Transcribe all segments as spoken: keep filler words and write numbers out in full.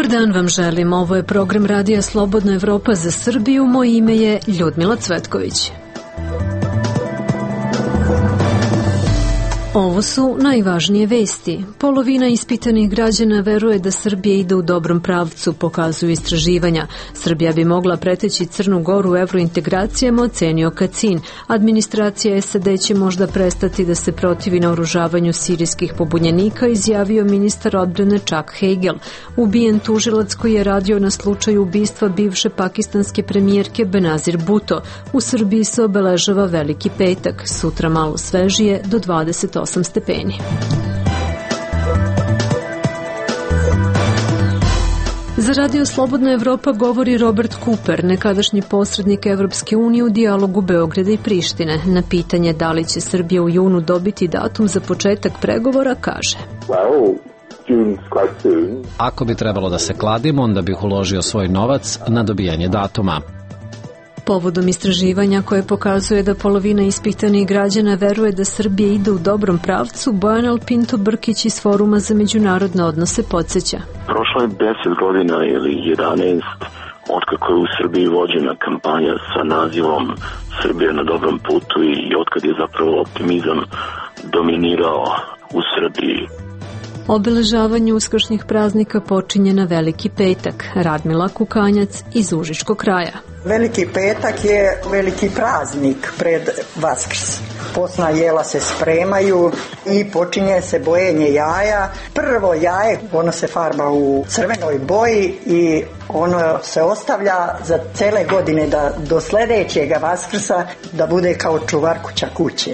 Dobar dan vam želim. Ovo je program Radija Slobodna Evropa za Srbiju. Moje ime je Ljudmila Cvetković. Ovo su najvažnije vesti. Polovina ispitanih građana veruje da Srbija ide u dobrom pravcu, pokazuju istraživanja. Srbija bi mogla preteći Crnu Goru u evrointegracijama, ocenio Kacin. Administracija S A D će možda prestati da se protivi naoružavanju sirijskih pobunjenika, izjavio ministar odbrane Chuck Hagel. Ubijen tužilac koji je radio na slučaju ubistva bivše pakistanske premijerke Benazir Bhutto. U Srbiji se obeležava Veliki petak, sutra malo svežije do dvadeset osam stepeni. Za Radio Slobodna Evropa govori Robert Cooper, nekadašnji posrednik Evropske unije u dijalogu Beograda i Prištine. Na pitanje da li će Srbija u junu dobiti datum za početak pregovora, kaže: Ako bi trebalo da se kladim, onda bih uložio svoj novac na dobijanje datuma. Povodom istraživanja koje pokazuje da polovina ispitanih građana veruje da Srbija ide u dobrom pravcu, Bojan Pinto Brkić iz Foruma za međunarodne odnose podsjeća. Prošlo je deset godina ili jedanaest otkako je u Srbiji vođena kampanja sa nazivom Srbija na dobrom putu i otkad je zapravo optimizam dominirao u Srbiji. Obeležavanje uskršnjih praznika počinje na Veliki petak. Radmila Kukanjac iz Užičkog kraja. Veliki petak je veliki praznik pred Vaskrs. Posna jela se spremaju i počinje se bojenje jaja. Prvo jaje, ono se farba u crvenoj boji i ono se ostavlja za cele godine da do sledećega Vaskrsa da bude kao čuvar kuća kuće.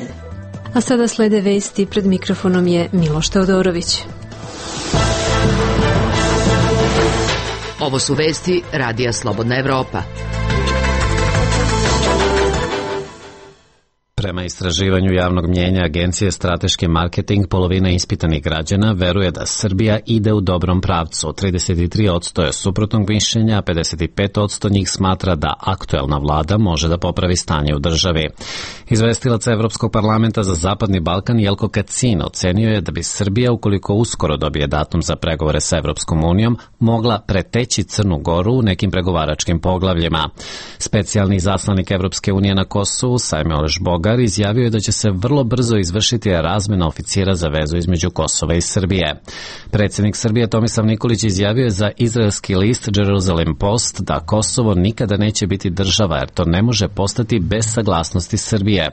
A sada slede vesti, pred mikrofonom je Miloš Teodorović. Ovo su vesti Radija Slobodna Evropa. Prema istraživanju javnog mnjenja Agencije Strateški marketing, polovina ispitanih građana veruje da Srbija ide u dobrom pravcu. trideset tri posto je suprotnog mišljenja, a pedeset pet posto njih smatra da aktuelna vlada može da popravi stanje u državi. Izvestilac Evropskog parlamenta za Zapadni Balkan Jelko Kacin ocenio je da bi Srbija, ukoliko uskoro dobije datum za pregovore sa Evropskom unijom, mogla preteći Crnu Goru u nekim pregovaračkim poglavljima. Specijalni izaslanik Evropske unije na Kosovu, Sajmel Žbogar, izjavio je da će se vrlo brzo izvršiti razmena oficira za vezu između Kosova i Srbije. Predsjednik Srbije Tomislav Nikolić izjavio je za izraelski list Jerusalem Post da Kosovo nikada neće biti država, jer to ne može postati bez saglasnosti Srbije.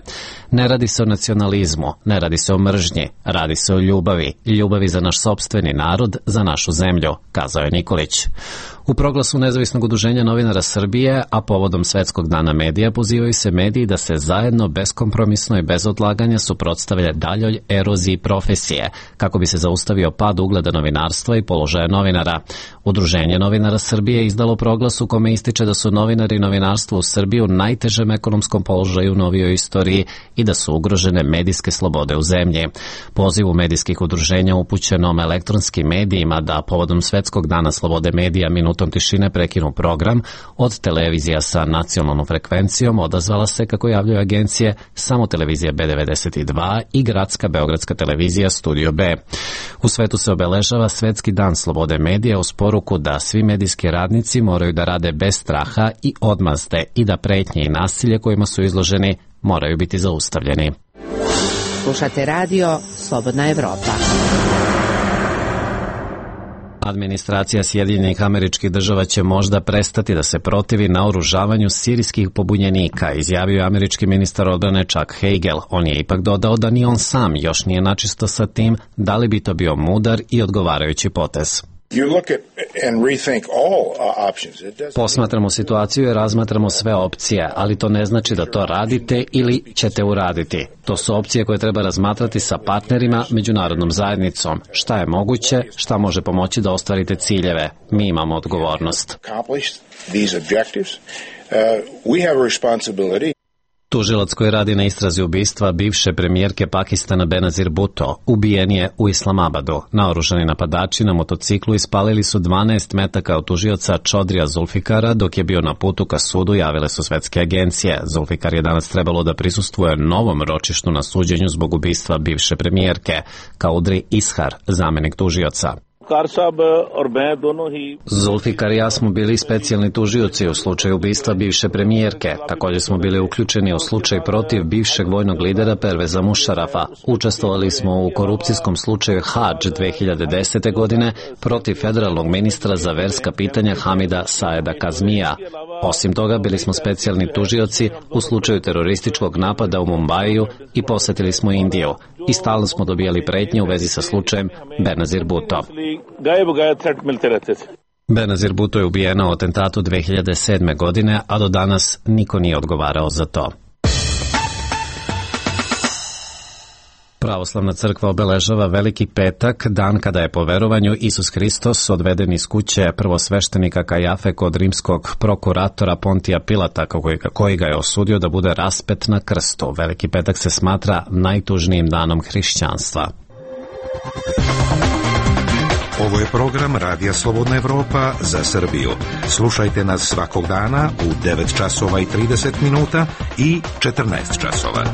Ne radi se o nacionalizmu, ne radi se o mržnji, radi se o ljubavi, ljubavi za naš sopstveni narod, za našu zemlju, kazao je Nikolić. U proglasu Nezavisnog udruženja novinara Srbije, a povodom Svetskog dana medija, pozivaju se mediji da se zajedno, beskompromisno i bez odlaganja suprotstavlja daljoj eroziji profesije, kako bi se zaustavio pad ugleda novinarstva i položaja novinara. Udruženje novinara Srbije izdalo proglas u kome ističe da su novinari i novinarstvo u Srbiji u najtežem ekonomskom položaju u novijoj istoriji i da su ugrožene medijske slobode u zemlji. Pozivu medijskih udruženja upućenom elektronskim medijima da povodom Svetskog dana slobode medija minutom tišine prekinu program od televizija sa nacionalnom frekvencijom odazvala se, kako javljaju agencije, samo televizija B devedeset dva i gradska beogradska televizija Studio B. U svetu se obeležava Svetski dan slobode medija uz poruku da svi medijski radnici moraju da rade bez straha i odmazde i da pretnje i nasilje kojima su izloženi moraju biti zaustavljeni. Slušate radio Slobodna Evropa. Administracija Sjedinjenih Američkih Država će možda prestati da se protivi naoružavanju sirijskih pobunjenika, izjavio je američki ministar odbrane Chuck Hagel. On je ipak dodao da ni on sam još nije načisto sa tim da li bi to bio mudar i odgovarajući potez. Posmatramo situaciju i razmatramo sve opcije, ali to ne znači da to radite ili ćete uraditi. To su opcije koje treba razmatrati sa partnerima, međunarodnom zajednicom. Šta je moguće, šta može pomoći da ostvarite ciljeve. Mi imamo odgovornost. Tužilac koji radi na istrazi ubistva bivše premijerke Pakistana Benazir Bhutto ubijen je u Islamabadu. Naoružani napadači na motociklu ispalili su dvanaest metaka od tužioca Čodrija Zulfikara dok je bio na putu ka sudu, javile su svetske agencije. Zulfikar je danas trebalo da prisustvuje novom ročištu na suđenju zbog ubistva bivše premijerke, Kaudri Ishar, zamenik tužioca. Zulfikar i ja smo bili specijalni tužioci u slučaju ubistva bivše premijerke. Također smo bili uključeni u slučaj protiv bivšeg vojnog lidera Perveza Mušarafa. Učestvovali smo u korupcijskom slučaju Hadž dve hiljade desete. godine protiv federalnog ministra za verska pitanja Hamida Saeda Kazmija. Osim toga, bili smo specijalni tužioci u slučaju terorističkog napada u Mumbaiju i posjetili smo Indiju. I stalno smo dobijali pretnje u vezi sa slučajem Benazir Bhutto. Benazir Bhutto je ubijena u atentatu dve hiljade sedme. godine, a do danas niko nije odgovarao za to. Pravoslavna crkva obeležava Veliki petak, dan kada je po verovanju Isus Hristos odveden iz kuće prvosveštenika Kajafe kod rimskog prokuratora Pontija Pilata, koji ga je osudio da bude raspet na krstu. Veliki petak se smatra najtužnijim danom hrišćanstva. Ovo je program Radija Slobodna Evropa za Srbiju. Slušajte nas svakog dana u devet časova i trideset minuta i četrnaest časova.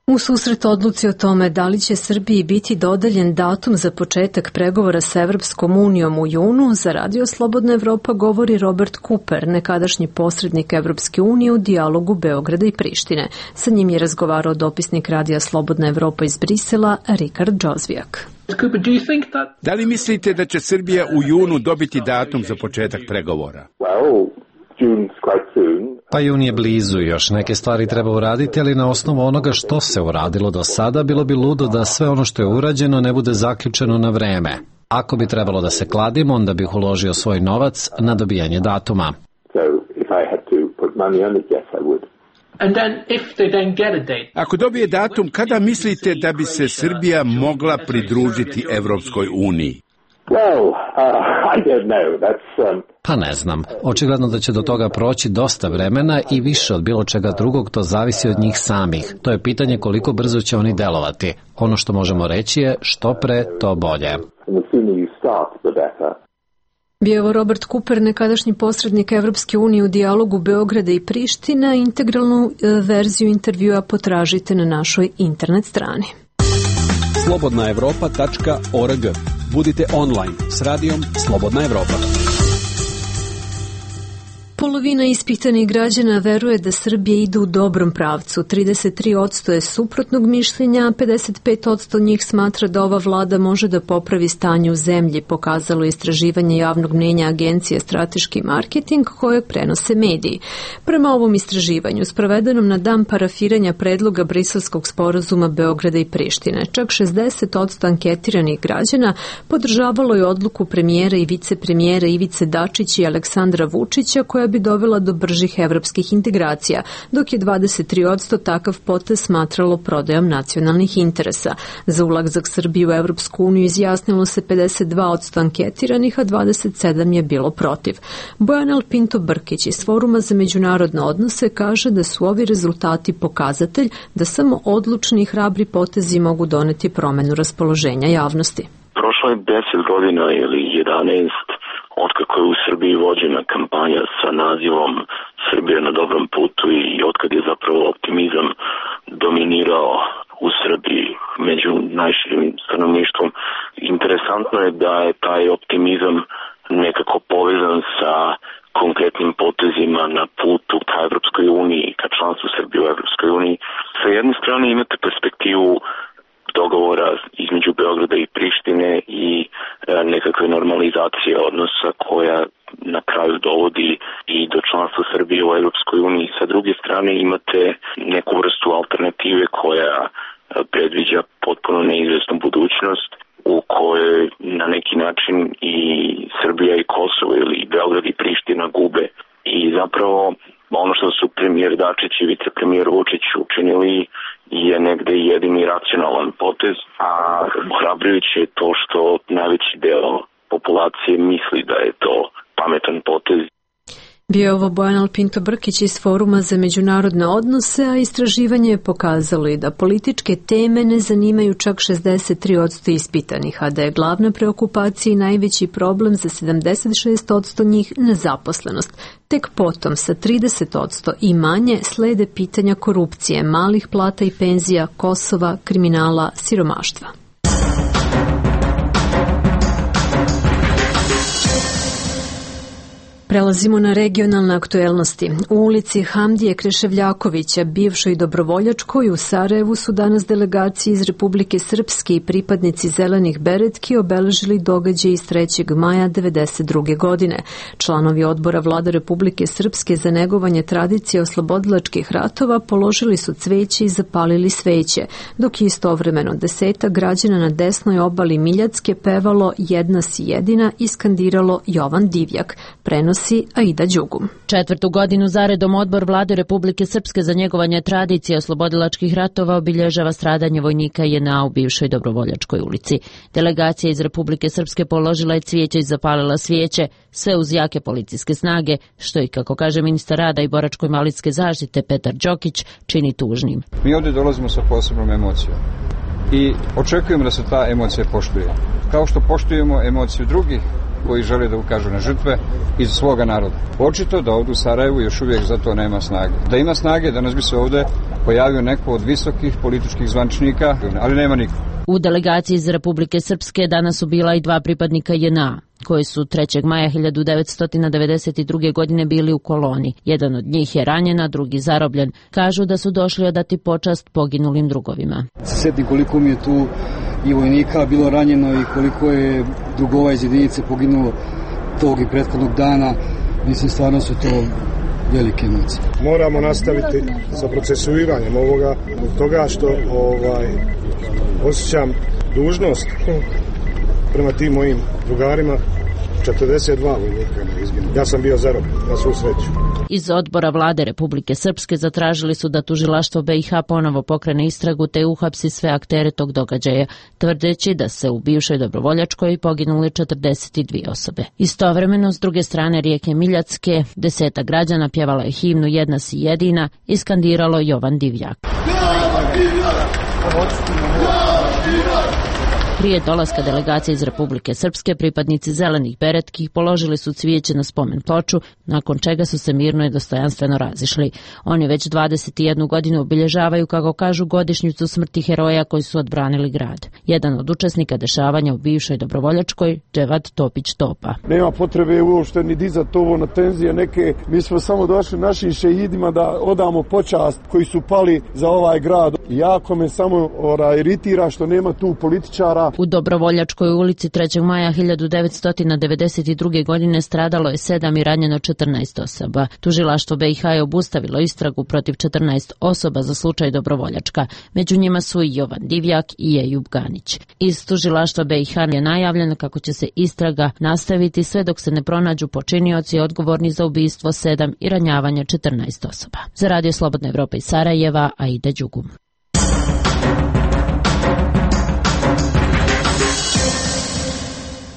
U susret odluci o tome da li će Srbiji biti dodeljen datum za početak pregovora sa Evropskom unijom u junu, za Radio Slobodna Evropa govori Robert Cooper, nekadašnji posrednik Evropske unije u dijalogu Beograda i Prištine. Sa njim je razgovarao dopisnik Radija Slobodna Evropa iz Brisela, Rikard Džozvijak. Da li mislite da će Srbija u junu dobiti datum za početak pregovora? Pa jun je blizu i još neke stvari treba uraditi, ali na osnovu onoga što se uradilo do sada, bilo bi ludo da sve ono što je urađeno ne bude zaključeno na vreme. Ako bi trebalo da se kladim, onda bih uložio svoj novac na dobijanje datuma. Ako dobije datum, kada mislite da bi se Srbija mogla pridružiti Evropskoj uniji? Pa ne znam. Očigledno da će do toga proći dosta vremena i više od bilo čega drugog to zavisi od njih samih. To je pitanje koliko brzo će oni delovati. Ono što možemo reći je što pre, to bolje. Bio je Robert Cooper, nekadašnji posrednik Evropske unije u dijalogu Beograda i Priština. Integralnu verziju intervjua potražite na našoj internet strani. slobodna evropa tačka org. Budite online s radijom Slobodna Evropa. Polovina ispitanih građana veruje da Srbija ide u dobrom pravcu. trideset tri posto je suprotnog mišljenja, a pedeset pet posto njih smatra da ova vlada može da popravi stanje u zemlji, pokazalo istraživanje javnog mnjenja agencije Strateški marketing koje prenose mediji. Prema ovom istraživanju, sprovedenom na dan parafiranja predloga Briselskog sporazuma Beograda i Prištine, čak šezdeset posto anketiranih građana podržavalo je odluku premijera i vicepremijera Ivice Dačića i Aleksandra Vučića koja bi dovela do bržih evropskih integracija, dok je dvadeset tri posto takav potez smatralo prodajom nacionalnih interesa. Za ulazak Srbije u Evropsku uniju izjasnilo se pedeset dva posto anketiranih, a dvadeset sedam je bilo protiv. Bojan Pinto Brkić iz Foruma za međunarodne odnose kaže da su ovi rezultati pokazatelj da samo odlučni i hrabri potezi mogu doneti promenu raspoloženja javnosti. Prošlo je deset godina ili jedanaest otkako je u Srbiji vođena kampanja sa nazivom Srbija na dobrom putu i otkad je zapravo optimizam dominirao u Srbiji među najširim stanovništvom. Interesantno je da je taj optimizam nekako povezan sa konkretnim potezima na putu ka Evropskoj uniji, ka članstvu Srbije u Evropskoj uniji. Sa jedne strane imate perspektivu dogovora između Beograda i Prištine i e, nekakve normalizacije odnosa koja na kraju dovodi i do članstva Srbije u Evropskoj uniji. Sa druge strane imate neku vrstu alternative koja predviđa potpuno neizvesnu budućnost u kojoj na neki način i Srbija i Kosovo ili Beograd i Priština gube. I zapravo ono što su premijer Dačić i vicepremijer Vučić učinili je negde jedini racionalan potez, a ohrabrujuće je to što najveći deo populacije misli da je to pametan potez. Bio je ovo Bojan Pinto Brkić iz Foruma za međunarodne odnose, a istraživanje je pokazalo i da političke teme ne zanimaju čak šezdeset tri posto ispitanih, a da je glavna preokupacija i najveći problem za sedamdeset šest posto njih nezaposlenost. Tek potom sa trideset posto i manje slede pitanja korupcije, malih plata i penzija, Kosova, kriminala, siromaštva. Prelazimo na regionalne aktuelnosti. U ulici Hamdije Kreševljakovića, bivšoj dobrovoljačkoj, u Sarajevu su danas delegacije iz Republike Srpske i pripadnici Zelenih beretki obeležili događaj iz trećeg maja devedeset druge. godine. Članovi odbora Vlade Republike Srpske za negovanje tradicije oslobodilačkih ratova položili su cveće i zapalili sveće, dok je istovremeno desetak građana na desnoj obali Miljacke pevalo Jedna si jedina i skandiralo Jovan Divjak. Prenosi Aida Đugum. Četvrtu godinu zaredom odbor Vlade Republike Srpske za njegovanje tradicije oslobodilačkih ratova obilježava stradanje vojnika J N A u bivšoj dobrovoljačkoj ulici. Delegacija iz Republike Srpske položila je cvijeće i zapalila svijeće, sve uz jake policijske snage, što i, kako kaže ministar rada i boračko-invalidske zaštite Petar Đokić, čini tužnim. Mi ovdje dolazimo sa posebnom emocijom i očekujemo da se ta emocija poštuje. Kao što poštujemo emociju drugih koji žele da ukažu na žrtve iz svoga naroda. Očito da ovdje u Sarajevu još uvijek za to nema snage. Da ima snage, danas bi se ovdje pojavio neko od visokih političkih zvančnika, ali nema niko. U delegaciji iz Republike Srpske danas su bila i dva pripadnika J N A, koji su trećeg maja hiljadu devetsto devedeset druge. godine bili u koloni. Jedan od njih je ranjen, a drugi zarobljen. Kažu da su došli odati počast poginulim drugovima. Se sjetim koliko mi je tu i vojnika bilo ranjeno i koliko je drugova iz jedinice poginulo tog i prethodnog dana. Mislim, stvarno su to velike emocije. Moramo nastaviti sa procesuiranjem ovoga, toga što ovaj, osjećam dužnost prema tim mojim drugarima. četrdeset dva vojnika izginulo. Ja sam bio zarobljen, na svu sreću. Iz odbora Vlade Republike Srpske zatražili su da tužilaštvo B i H ponovo pokrene istragu te uhapsi sve aktere tog događaja, tvrdeći da se u bivšoj dobrovoljačkoj poginuli četrdeset dvije osobe. Istovremeno, s druge strane rijeke Miljacke, deseta građana pjevala je himnu Jedna si jedina i skandiralo Jovan Divjak. Prije dolaska delegacije iz Republike Srpske, pripadnici Zelenih beretki položili su cvijeće na spomen ploču, nakon čega su se mirno i dostojanstveno razišli. Oni već dvadeset jednu godinu obilježavaju, kako kažu, godišnjicu smrti heroja koji su odbranili grad. Jedan od učesnika dešavanja u bivšoj dobrovoljačkoj, Dževad Topić Topa. Nema potrebe uopšte ni dizati ovo na tenzije neke. Mi smo samo došli našim šehidima da odamo počast koji su pali za ovaj grad. Jako me samo ora, iritira što nema tu političara. U Dobrovoljačkoj ulici trećeg maja hiljadu devetsto devedeset druge. godine stradalo je sedam i ranjeno četrnaest osoba. Tužilaštvo B i H je obustavilo istragu protiv četrnaest osoba za slučaj Dobrovoljačka. Među njima su i Jovan Divjak i Ejub Ganić. Iz tužilaštva B i H je najavljeno kako će se istraga nastaviti sve dok se ne pronađu počinioci odgovorni za ubistvo sedam i ranjavanje četrnaest osoba. Za Radio Slobodna Evropa iz Sarajeva, Aida Đugum.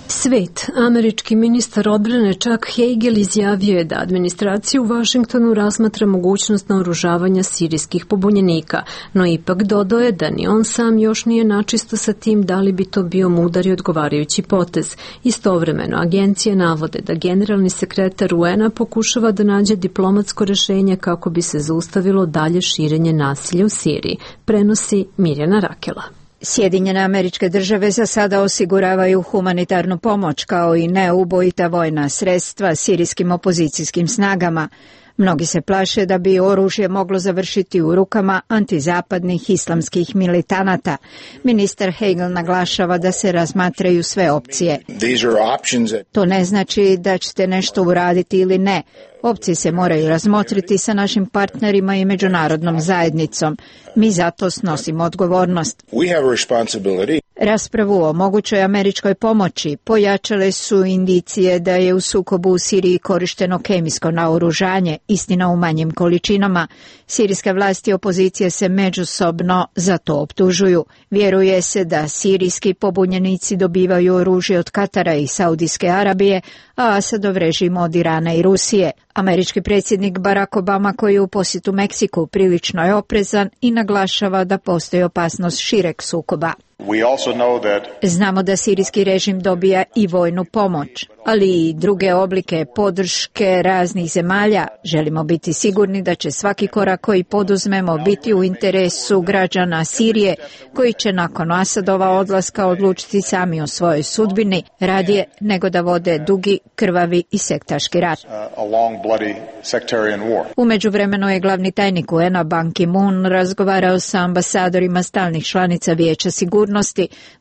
Svet. Američki ministar odbrane Chuck Hagel izjavio je da administracija u Vašingtonu razmatra mogućnost naoružavanja sirijskih pobunjenika, no ipak dodao je da ni on sam još nije načisto sa tim da li bi to bio mudar i odgovarajući potez. Istovremeno, agencije navode da generalni sekretar U N-a pokušava da nađe diplomatsko rešenje kako bi se zaustavilo dalje širenje nasilja u Siriji. Prenosi Mirjana Rakela. Sjedinjene Američke Države za sada osiguravaju humanitarnu pomoć kao i neubojita vojna sredstva sirijskim opozicijskim snagama. Mnogi se plaše da bi oružje moglo završiti u rukama antizapadnih islamskih militanata. Ministar Hagel naglašava da se razmatraju sve opcije. To ne znači da ćete nešto uraditi ili ne. Opcije se moraju razmotriti sa našim partnerima i međunarodnom zajednicom. Mi zato snosimo odgovornost. Raspravu o mogućoj američkoj pomoći pojačale su indicije da je u sukobu u Siriji korišteno kemijsko naoružanje, istina u manjim količinama. Sirijske vlasti i opozicije se međusobno za to optužuju. Vjeruje se da sirijski pobunjenici dobivaju oružje od Katara i Saudijske Arabije, a Asadov režim od Irana i Rusije. Američki predsjednik Barack Obama, koji je u posjetu Meksiku, prilično je oprezan i naglašava da postoji opasnost šireg sukoba. Znamo da sirijski režim dobija i vojnu pomoć, ali i druge oblike podrške raznih zemalja. Želimo biti sigurni da će svaki korak koji poduzmemo biti u interesu građana Sirije, koji će nakon Asadova odlaska odlučiti sami o svojoj sudbini, radije nego da vode dugi, krvavi i sektaški rat. U međuvremenu je glavni tajnik U N-a Ban Ki-moon razgovarao sa ambasadorima stalnih članica Vijeća sigurnosti,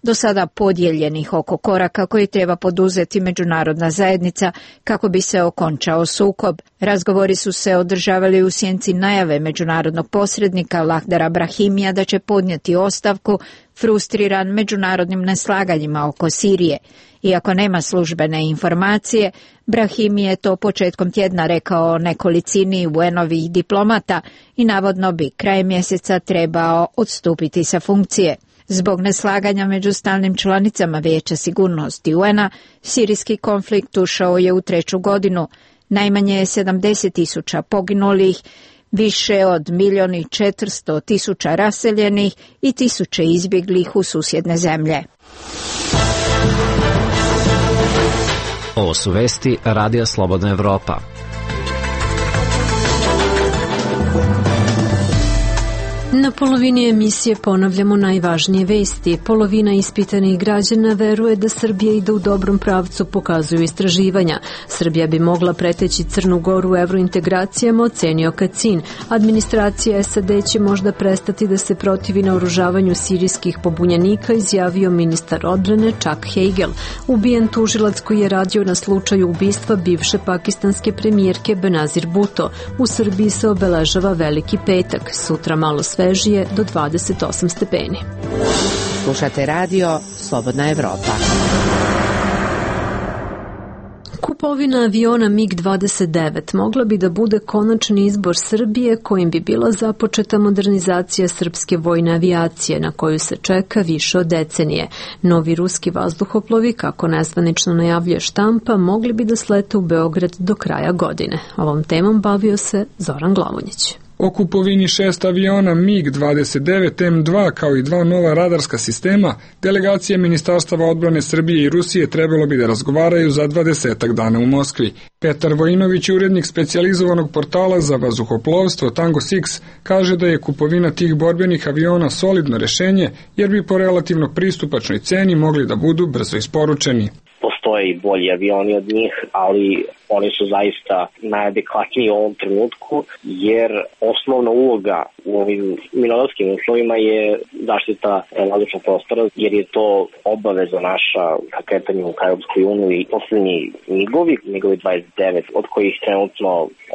do sada podijeljenih oko koraka koji treba poduzeti međunarodna zajednica kako bi se okončao sukob. Razgovori su se održavali u sjenci najave međunarodnog posrednika Lahdara Brahimija da će podnijeti ostavku, frustriran međunarodnim neslaganjima oko Sirije. Iako nema službene informacije, Brahimi je to početkom tjedna rekao nekolicini U N-ovih diplomata i navodno bi krajem mjeseca trebao odstupiti sa funkcije. Zbog neslaganja među stalnim članicama Vijeća sigurnosti U N-a, sirijski konflikt ušao je u treću godinu. Najmanje je sedamdeset tisuća poginulih, više od milijon i četiristo tisuća raseljenih i tisuće izbjeglih u susjedne zemlje. Ovo su vesti Radija Slobodna Evropa. Na polovini emisije ponavljamo najvažnije vesti. Polovina ispitanih građana veruje da Srbija ide u dobrom pravcu, pokazuju istraživanja. Srbija bi mogla preteći Crnu Goru u evrointegracijama, ocenio Kacin. Administracija S A D će možda prestati da se protivi naoružavanju sirijskih pobunjenika, izjavio ministar odbrane Chuck Hagel. Ubijen tužilac koji je radio na slučaju ubistva bivše pakistanske premijerke Benazir Bhutto. U Srbiji se obeležava Veliki petak. Sutra malo svežije do dvadeset osam stepeni. Slušate radio Slobodna Evropa. Kupovina aviona MiG dvadeset devet mogla bi da bude konačni izbor Srbije kojim bi bila započeta modernizacija srpske vojne avijacije na koju se čeka više od decenije. Novi ruski vazduhoplovi, kako nezvanično najavljuje štampa, mogli bi da slete u Beograd do kraja godine. Ovom temom bavio se Zoran Glavonjić. O kupovini šest aviona MiG dvadeset devet M dva kao i dva nova radarska sistema, delegacije Ministarstava odbrane Srbije i Rusije trebalo bi da razgovaraju za dvadesetak dana u Moskvi. Petar Vojinović, urednik specijalizovanog portala za vazduhoplovstvo Tango Six, kaže da je kupovina tih borbenih aviona solidno rešenje, jer bi po relativno pristupačnoj ceni mogli da budu brzo isporučeni. Postoje i bolji avioni od njih, ali oni su zaista najadekvatniji u ovom trenutku, jer osnovna uloga u ovim mirnodopskim uslovima je zaštita vazdušnog prostora, jer je to obaveza naša ka kretanju ka Europskoj uniji. I poslednji migovi, migovi dvadeset devet, od kojih trenutno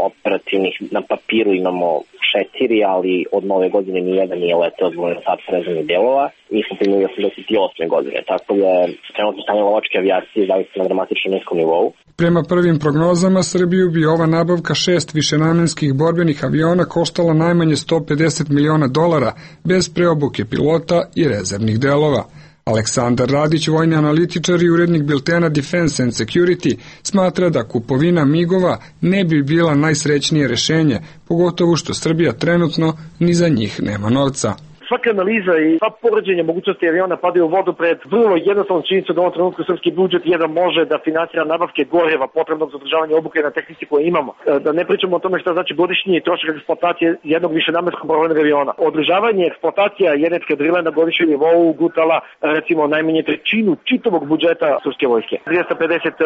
operativnih na papiru imamo četiri, ali od nove godine nijedan nije leteo zbog nedostatka rezervnih delova. Mi smo primili osamdeset osme godine, tako da je trenutno stanje lovačke avijacije zaista na dramatično niskom nivou. Prema prvim prognozama, Srbiju bi ova nabavka šest višenamenskih borbenih aviona koštala najmanje sto pedeset miliona dolara, bez preobuke pilota i rezervnih delova. Aleksandar Radić, vojni analitičar i urednik biltena Defense and Security, smatra da kupovina migova ne bi bila najsrećnije rešenje, pogotovo što Srbija trenutno ni za njih nema novca. Svaka analiza i sva poređenja mogućnosti aviona padaju u vodu pred vrlo jednostavnom činjenicom da u ovom trenutku srpski budžet jedan može da finansira nabavke goreva potrebnog za održavanje obuke na tehnici koje imamo. Da ne pričamo o tome šta znači godišnji trošak eksploatacije jednog višenamenskog borbenog aviona. Održavanje eksploatacija jedne eskadrile na godišnjem nivou gutala recimo najmanje trećinu čitavog budžeta srpske vojske. dvesta pedeset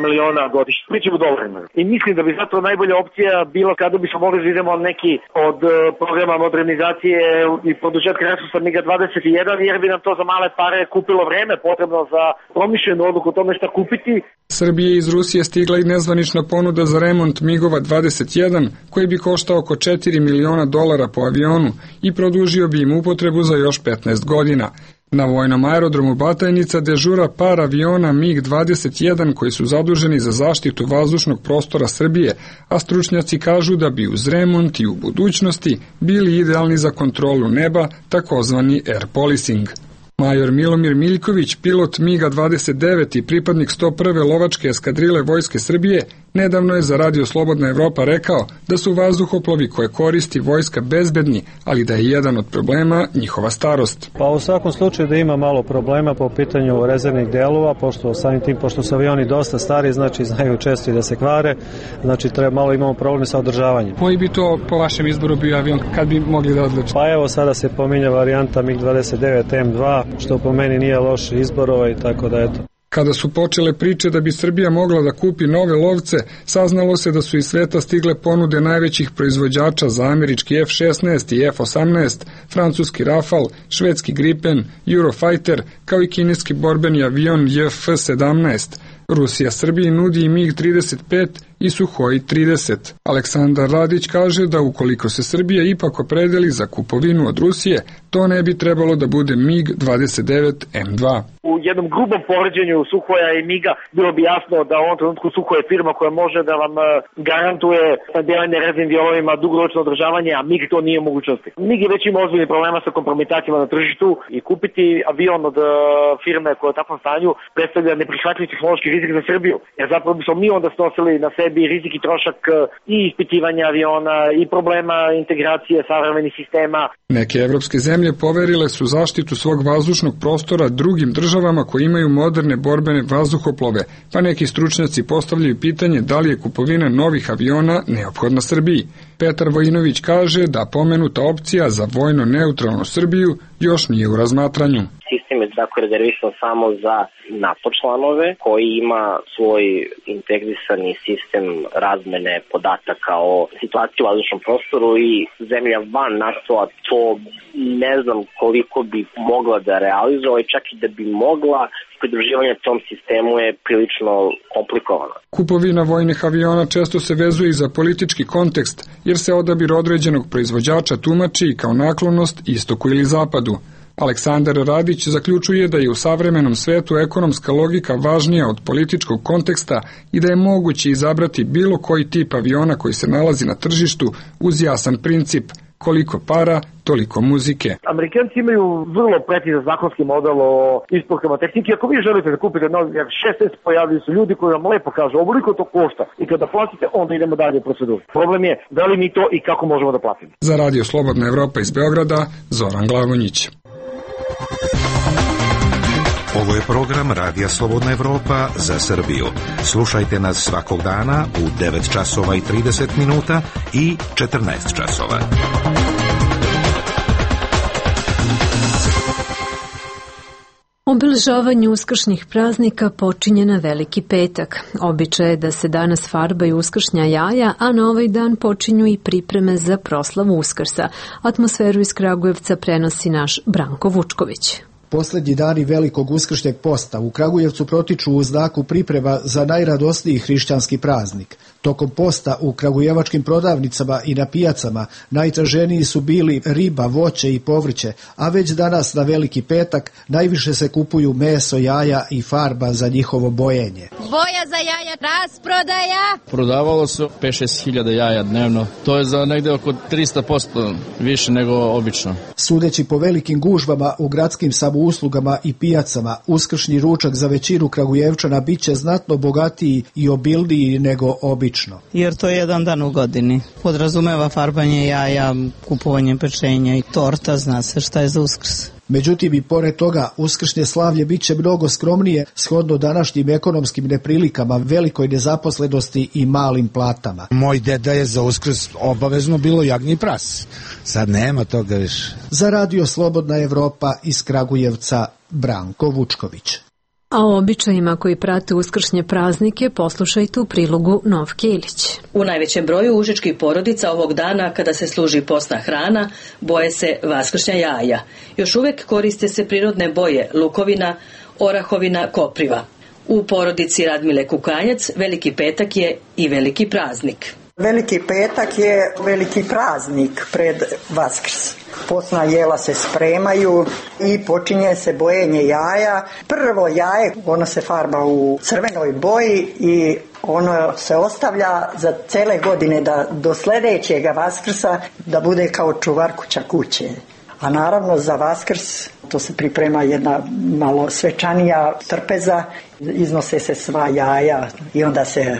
miliona godišnje. Pričamo u dolarima. I mislim da bi zato najbolja opcija bila kada bismo mogli da idemo neki od programa modernizacije i produženja resursa MiG dvadeset jedan, jer bi nam to za male pare kupilo vreme potrebno za promišljenu odluku o tome šta kupiti. Srbije iz Rusije stigla i nezvanična ponuda za remont MiGova dvadeset jedan, koji bi koštao oko četiri miliona dolara po avionu i produžio bi im upotrebu za još petnaest godina. Na vojnom aerodromu Batajnica dežura par aviona MiG dvadeset jedan koji su zaduženi za zaštitu vazdušnog prostora Srbije, a stručnjaci kažu da bi uz remont i u budućnosti bili idealni za kontrolu neba, takozvani air policing. Major Milomir Miljković, pilot MiG dvadeset devet i pripadnik sto prve lovačke eskadrile Vojske Srbije, nedavno je za Radio Slobodna Evropa rekao da su vazduhoplovi koje koristi vojska bezbedni, ali da je jedan od problema njihova starost. Pa u svakom slučaju da ima malo problema po pitanju rezervnih delova, pošto samim tim, pošto su avioni dosta stari, znači znaju često i da se kvare, znači treba malo imamo problem sa održavanjem. Koji bi to po vašem izboru bio avion kad bi mogli da odlučite? Pa evo sada se pominja varijanta MiG dvadeset devet M dva, što po meni nije loš izbor i tako da eto. Kada su počele priče da bi Srbija mogla da kupi nove lovce, saznalo se da su iz sveta stigle ponude najvećih proizvođača za američki F šesnaest i F osamnaest, francuski Rafale, švedski Gripen, Eurofighter, kao i kineski borbeni avion J F sedamnaest. Rusija Srbiji nudi i MiG trideset pet i Suhoi trideset. Aleksandar Radić kaže da ukoliko se Srbija ipak opredeli za kupovinu od Rusije, to ne bi trebalo da bude MiG dvadeset devet M dva. U jednom grubom poređenju Suhoja i MiGa bilo bi jasno da u ovom trenutku Suhoj je firma koja može da vam garantuje snabdevanje rezervnim dijelovima, dugoročno održavanje, a MiG to nije u mogućnosti. MiG je već ima ozbiljnih problema sa kompromitacijama na tržištu i kupiti avion od firme koja je u takvom stanju predstavlja neprihvatljiv tehnološki rizik za Srbiju. Jer zapravo bismo mi onda snosili na sebi rizik i trošak i ispitivanja aviona i problema integracije savremenih sistema. Neke evropske zemlje poverile su zaštitu svog vazdušnog prostora drugim državama koji imaju moderne borbene vazduhoplove, pa neki stručnjaci postavljaju pitanje da li je kupovina novih aviona neophodna Srbiji. Petar Vojinović kaže da pomenuta opcija za vojno neutralnu Srbiju još nije u razmatranju. Sistem je tako rezervisan samo za NATO članove koji ima svoj integrisani sistem razmene podataka o situaciji u vazdušnom prostoru i zemlja van NATO-a to ne znam koliko bi mogla da realizuje, čak i da bi mogla, pridruživanje tom sistemu je prilično komplikovano. Kupovina vojnih aviona često se vezuje i za politički kontekst, jer se odabir određenog proizvođača tumači kao naklonost istoku ili zapadu. Aleksandar Radić zaključuje da je u savremenom svetu ekonomska logika važnija od političkog konteksta i da je moguće izabrati bilo koji tip aviona koji se nalazi na tržištu uz jasan princip koliko para, toliko muzike. Amerikanci imaju vrlo precizan zakonski model o isporukama tehnike. Ako vi želite da kupite novi F šesnaest, pojavljaju su ljudi koji vam lepo kažu ovoliko to košta i kada platite, onda idemo dalje u proceduru. Problem je da li mi to i kako možemo da platimo. Za Radio Slobodna Evropa iz Beograda, Zoran Glavonjić. Ovo je program Radija Slobodna Evropa za Srbiju. Slušajte nas svakog dana u devet časova i trideset minuta i četrnaest časova. Obeležavanje uskršnjih praznika počinje na Veliki petak. Običaj je da se danas farbaju uskršnja jaja, a na ovaj dan počinju i pripreme za proslavu Uskrsa. Atmosferu iz Kragujevca prenosi naš Branko Vučković. Poslednji dani velikog uskršnjeg posta u Kragujevcu protiču u znaku priprema za najradosniji hrišćanski praznik. Tokom posta u kragujevačkim prodavnicama i na pijacama najtraženiji su bili riba, voće i povrće, a već danas na Veliki petak najviše se kupuju meso, jaja i farba za njihovo bojenje. Boja za jaja, rasprodaja! Prodavalo se pet šest hiljada jaja dnevno. To je za negde oko tristo posto više nego obično. Sudeći po velikim gužvama u gradskim samouslugama i pijacama, uskršnji ručak za većinu Kragujevčana biće znatno bogatiji i obilniji nego obično. Jer to je jedan dan u godini. Podrazumeva farbanje jaja, kupovanje pečenja i torta, zna se šta je za Uskrs. Međutim, i pored toga, uskršnje slavlje biće mnogo skromnije shodno današnjim ekonomskim neprilikama, velikoj nezaposlenosti i malim platama. Moj deda je za Uskrs obavezno bilo jagnji pras. Sad nema toga više. Za Radio Slobodna Evropa iz Kragujevca, Branko Vučković. A o običajima koji prate uskršnje praznike poslušajte u prilogu Novke Ilić. U najvećem broju užičkih porodica ovog dana kada se služi postna hrana boje se vaskršnja jaja. Još uvek koriste se prirodne boje lukovina, orahovina, kopriva. U porodici Radmile Kukanjac Veliki petak je i veliki praznik. Veliki petak je veliki praznik pred Vaskrs. Postna jela se spremaju i počinje se bojenje jaja. Prvo jaje, ono se farba u crvenoj boji i ono se ostavlja za cele godine da do sledećega Vaskrsa da bude kao čuvar kuća kuće. A naravno za Vaskrs to se priprema jedna malo svečanija trpeza, iznose se sva jaja i onda se,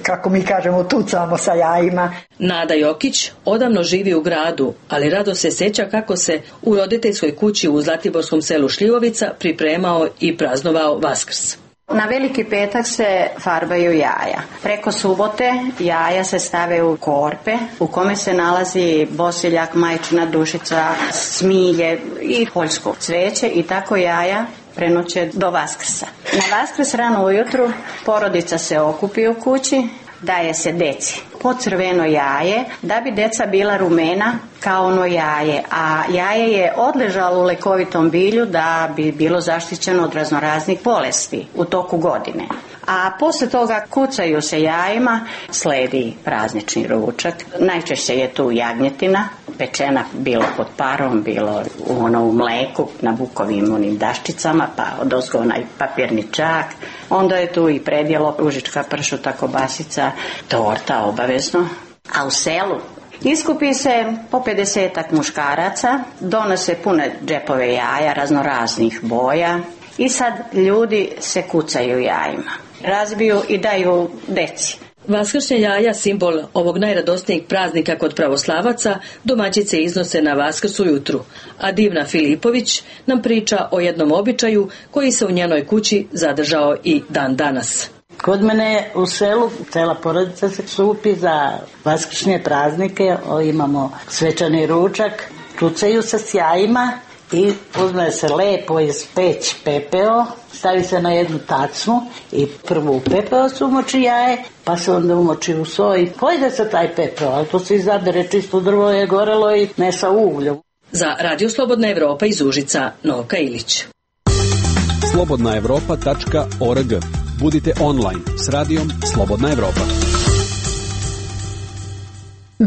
kako mi kažemo, tucamo sa jajima. Nada Jokić odavno živi u gradu, ali rado se sjeća kako se u roditeljskoj kući u zlatiborskom selu Šljivovica pripremao i praznovao Vaskrs. Na Veliki petak se farbaju jaja. Preko subote jaja se stave u korpe u kome se nalazi bosiljak, majčina dušica, smilje i poljsko cveće i tako jaja prenoće do Vaskrsa. Na Vaskrs rano ujutru porodica se okupi u kući, daje se deci po crveno jaje da bi deca bila rumena kao ono jaje, a jaje je odležalo u lekovitom bilju da bi bilo zaštićeno od raznoraznih bolesti u toku godine. A posle toga kucaju se jajima, sledi praznični ručak. Najčešće je tu jagnjetina, pečena bilo pod parom, bilo u, ono, u mleku, na bukovim onim daščicama, pa odozgo onaj papirni čak. Onda je tu i predjelo, užička pršuta, kobasica, torta obavezno. A u selu iskupi se po pedesetak muškaraca, donose pune džepove jaja raznoraznih boja i sad ljudi se kucaju jajima. Razbiju i daju deci. Vaskršnja jaja, simbol ovog najradosnijeg praznika kod pravoslavaca, domaćice iznose na Vaskrs ujutru, a Divna Filipović nam priča o jednom običaju koji se u njenoj kući zadržao i dan danas. Kod mene u selu cela porodica se skupi za vaskršnje praznike, o, imamo svečani ručak, kucaju se s jajima i uzme se lepo iz peć pepeo, stavi se na jednu tacnu i prvo u pepeo se umoči jaje, pa se onda umoči u soj. Pojde se taj pepeo, ali to se izabere, čisto drvo je gorelo i ne sa ugljom. Za Radio Slobodna Evropa iz Užica, Novka Ilić. slobodna evropa tačka org. Budite online s radijom Slobodna Evropa.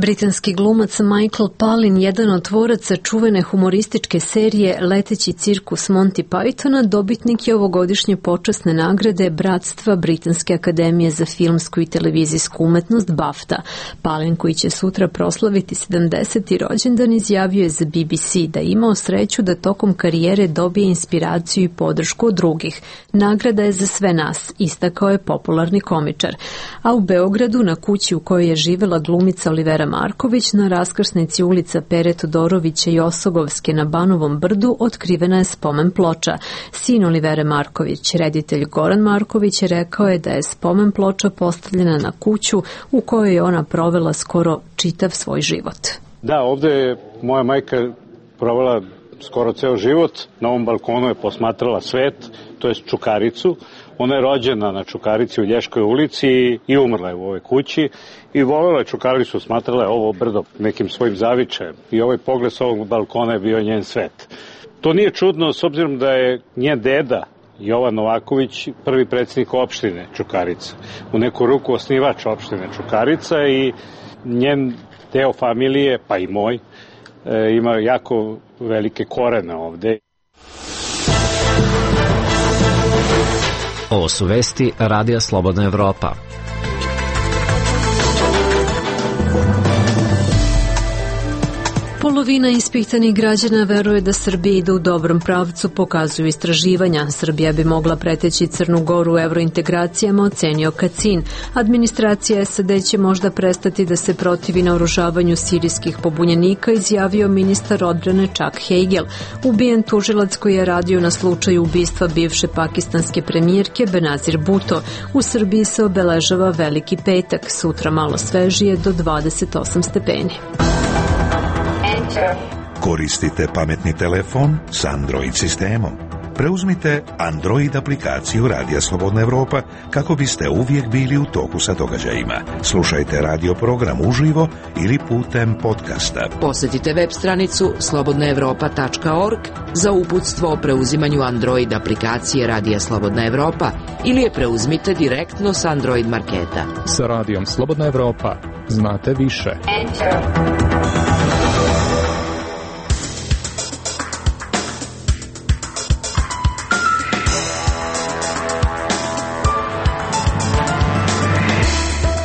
Britanski glumac Michael Palin, jedan od tvoraca čuvene humorističke serije Leteći cirkus Monty Pythona, dobitnik je ovogodišnje počasne nagrade Bratstva Britanske akademije za filmsku i televizijsku umetnost BAFTA. Palin, koji će sutra proslaviti sedamdeseti rođendan, izjavio je za B B C da je imao sreću da tokom karijere dobije inspiraciju i podršku od drugih. Nagrada je za sve nas, istakao je popularni komičar. A u Beogradu, na kući u kojoj je živela glumica Olivera Marković, na raskrsnici ulica Pere Todorovića i Osogovske na Banovom brdu, otkrivena je spomen ploča. Sin Olivere Marković, reditelj Goran Marković, rekao je da je spomen ploča postavljena na kuću u kojoj je ona provela skoro čitav svoj život. Da, ovde je moja majka provela skoro ceo život. Na ovom balkonu je posmatrala svet, to je Čukaricu. Ona je rođena na Čukarici u Lješkoj ulici i umrla je u ovoj kući i volela je Čukaricu, smatrala je ovo brdo nekim svojim zavičajem i ovaj pogled s ovog balkona je bio njen svet. To nije čudno s obzirom da je njen deda Jovan Novaković prvi predsjednik opštine Čukarica, u neku ruku osnivač opštine Čukarica i njen deo familije, pa i moj, ima jako velike korene ovde. Ovo su vesti Radija Slobodna Evropa. Polovina ispitanih građana veruje da Srbija ide u dobrom pravcu, pokazuju istraživanja. Srbija bi mogla preteći Crnu Goru u evrointegracijama, ocenio Kacin. Administracija S A D će možda prestati da se protivi naoružavanju sirijskih pobunjenika, izjavio ministar odbrane Chuck Hagel. Ubijen tužilac koji je radio na slučaju ubistva bivše pakistanske premijerke Benazir Bhutto. U Srbiji se obeležava Veliki petak, sutra malo svežije do dvadeset osam stepeni. Koristite pametni telefon s Android sistemom. Preuzmite Android aplikaciju Radija Slobodna Evropa kako biste uvijek bili u toku sa događajima. Slušajte radio program uživo ili putem podcasta. Posjetite web stranicu slobodna evropa tačka org za uputstvo o preuzimanju Android aplikacije Radija Slobodna Evropa ili je preuzmite direktno s Android marketa. Sa Radijom Slobodna Evropa znate više. Enter.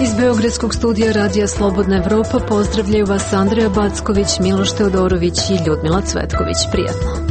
Iz Beogradskog studija Radija Slobodna Evropa pozdravljaju vas Andreja Backović, Miloš Teodorović i Ljudmila Cvetković. Prijatno.